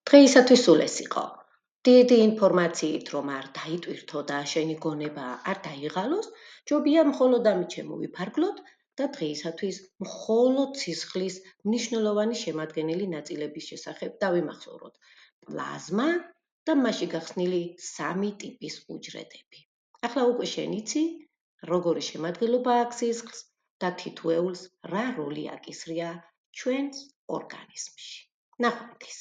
დღეისათვის სულ ეს იყო. დიდი ინფორმაციით რომ არ დაიტვირთო და შენი გონება არ დაიღალოს, ჯობია მხოლოდ ამით შემოვიფარგლოთ და დღეისათვის მხოლოდ სისხლის მნიშვნელოვანი შემადგენელი ნაწილების შესახებ დავიმახსოვროთ. პლაზმა და მასში გახსნილი 3 ტიპის უჯრედები. ახლა უკვე შენ იცი, როგორი შემადგენლობა აქვს სისხლს და თითოეულს რა როლი აკისრია ჩვენს ორგანიზმში. ნახვამდის.